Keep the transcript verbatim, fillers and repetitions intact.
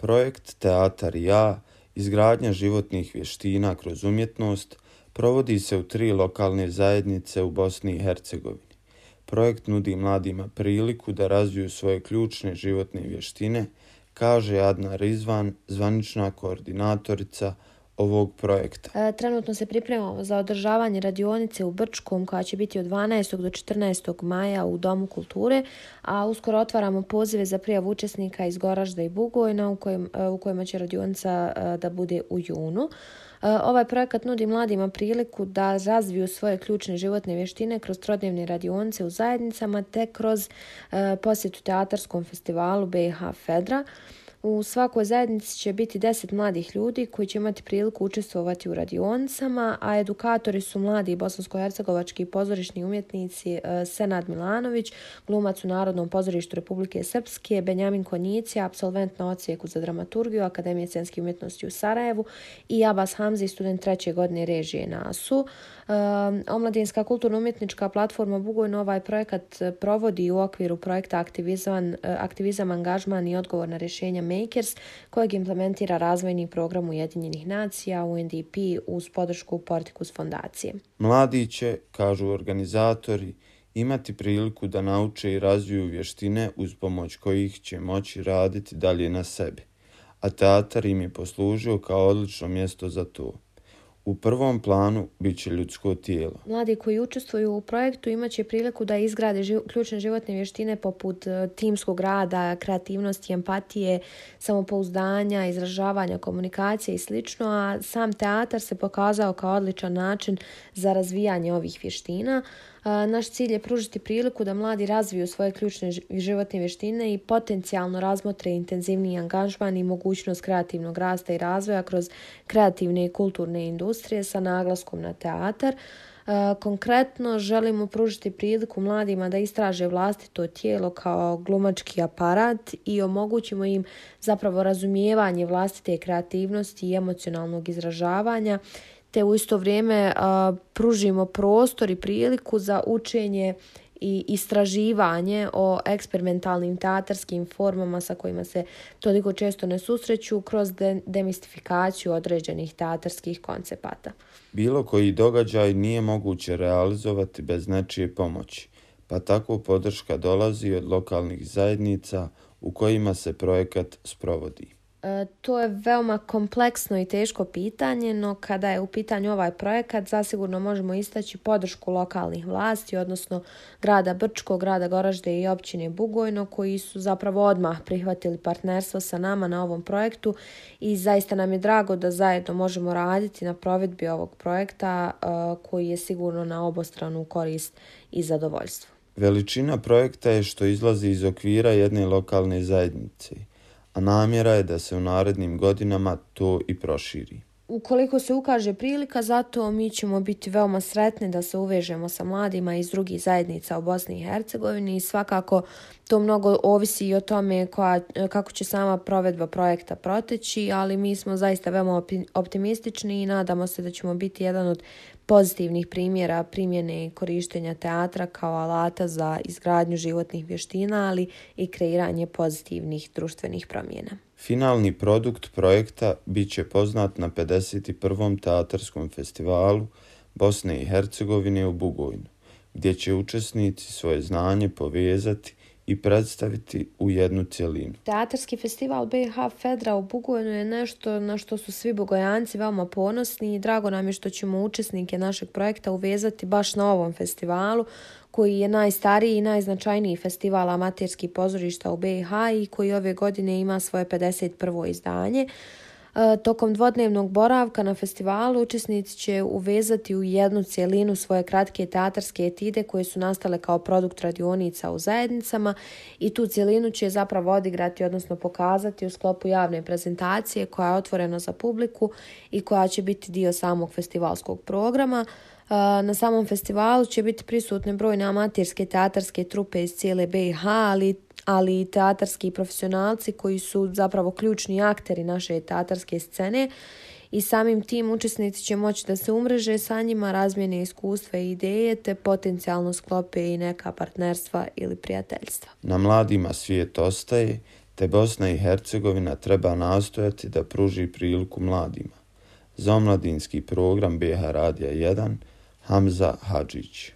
Projekt Teatar i ja, izgradnja životnih vještina kroz umjetnost, provodi se u tri lokalne zajednice u Bosni i Hercegovini. Projekt nudi mladima priliku da razviju svoje ključne životne vještine, kaže Adna Rizvan, zvanična koordinatorica ovog projekta. Trenutno se pripremamo za održavanje radionice u Brčkom koja će biti od dvanaestog do četrnaestog maja u Domu kulture, a uskoro otvaramo pozive za prijavu učesnika iz Goražda i Bugojna u, kojim, u kojima će radionica da bude u junu. Ovaj projekat nudi mladima priliku da razviju svoje ključne životne vještine kroz trodnevne radionice u zajednicama te kroz posjetu teatarskom festivalu B i H Fedra. U svakoj zajednici će biti deset mladih ljudi koji će imati priliku učestvovati u radionicama, a edukatori su mladi bosansko-hercegovački pozorišni umjetnici Senad Milanović, glumac u Narodnom pozorištu Republike Srpske, Benjamin Konjici, absolvent na odsjeku za dramaturgiju Akademije scenskih umjetnosti u Sarajevu i Abbas Hamzi, student treće godine režije na A S U. Omladinska kulturno-umjetnička platforma Bugojno ovaj projekat provodi u okviru projekta Aktivizam, aktivizam angažman i odgovor na rješenja Makers, kojeg implementira razvojni program Ujedinjenih nacija U N D P uz podršku Porticus fondacije. Mladi će, kažu organizatori, imati priliku da nauče i razviju vještine uz pomoć kojih će moći raditi dalje na sebi, a teatar im je poslužio kao odlično mjesto za to. U prvom planu bit će ljudsko tijelo. Mladi koji učestvuju u projektu imat će priliku da izgrade živ, ključne životne vještine poput timskog rada, kreativnosti, empatije, samopouzdanja, izražavanja, komunikacije i sl. A sam teatar se pokazao kao odličan način za razvijanje ovih vještina. Naš cilj je pružiti priliku da mladi razviju svoje ključne životne vještine i potencijalno razmotre intenzivniji angažman i mogućnost kreativnog rasta i razvoja kroz kreativne i kulturne industrije sa naglaskom na teatar. Konkretno želimo pružiti priliku mladima da istraže vlastito tijelo kao glumački aparat i omogućimo im zapravo razumijevanje vlastite kreativnosti i emocionalnog izražavanja, te u isto vrijeme uh, pružimo prostor i priliku za učenje i istraživanje o eksperimentalnim teatarskim formama sa kojima se toliko često ne susreću kroz de- demistifikaciju određenih teatarskih koncepata. Bilo koji događaj nije moguće realizovati bez nečije pomoći, pa tako podrška dolazi od lokalnih zajednica u kojima se projekat sprovodi. E, to je veoma kompleksno i teško pitanje, no kada je u pitanju ovaj projekat, zasigurno možemo istaći podršku lokalnih vlasti, odnosno grada Brčko, grada Goražde i općine Bugojno, koji su zapravo odmah prihvatili partnerstvo sa nama na ovom projektu i zaista nam je drago da zajedno možemo raditi na provedbi ovog projekta e, koji je sigurno na obostranu korist i zadovoljstvo. Veličina projekta je što izlazi iz okvira jedne lokalne zajednice, a namjera je da se u narednim godinama to i proširi. Ukoliko se ukaže prilika, zato mi ćemo biti veoma sretni da se uvežemo sa mladima iz drugih zajednica u Bosni i Hercegovini i svakako to mnogo ovisi i o tome koja, kako će sama provedba projekta proteći, ali mi smo zaista veoma optimistični i nadamo se da ćemo biti jedan od pozitivnih primjera primjene i korištenja teatra kao alata za izgradnju životnih vještina, ali i kreiranje pozitivnih društvenih promjena. Finalni produkt projekta bit će poznat na pedeset prvom teatarskom festivalu Bosne i Hercegovine u Bugojnu, gdje će učesnici svoje znanje povezati i predstaviti u jednu cjelinu. Teatarski festival B i H Fedra u Bugojnu je nešto na što su svi Bugojanci veoma ponosni i drago nam je što ćemo učesnike našeg projekta uvezati baš na ovom festivalu koji je najstariji i najznačajniji festival amaterskih pozorišta u B i H i koji ove godine ima svoje pedeset prvo izdanje. Tokom dvodnevnog boravka na festivalu učesnici će uvezati u jednu cjelinu svoje kratke teatarske etide koje su nastale kao produkt radionica u zajednicama i tu cjelinu će zapravo odigrati, odnosno pokazati u sklopu javne prezentacije koja je otvorena za publiku i koja će biti dio samog festivalskog programa. Na samom festivalu će biti prisutne brojne amaterske teatarske trupe iz cijele B i H, ali ali i teatarski profesionalci koji su zapravo ključni akteri naše teatarske scene i samim tim učesnici će moći da se umreže sa njima, razmjene iskustva i ideje te potencijalno sklope i neka partnerstva ili prijateljstva. Na mladima svijet ostaje, te Bosna i Hercegovina treba nastojati da pruži priliku mladima. Za omladinski program B H Radija jedan, Hamza Hadžić.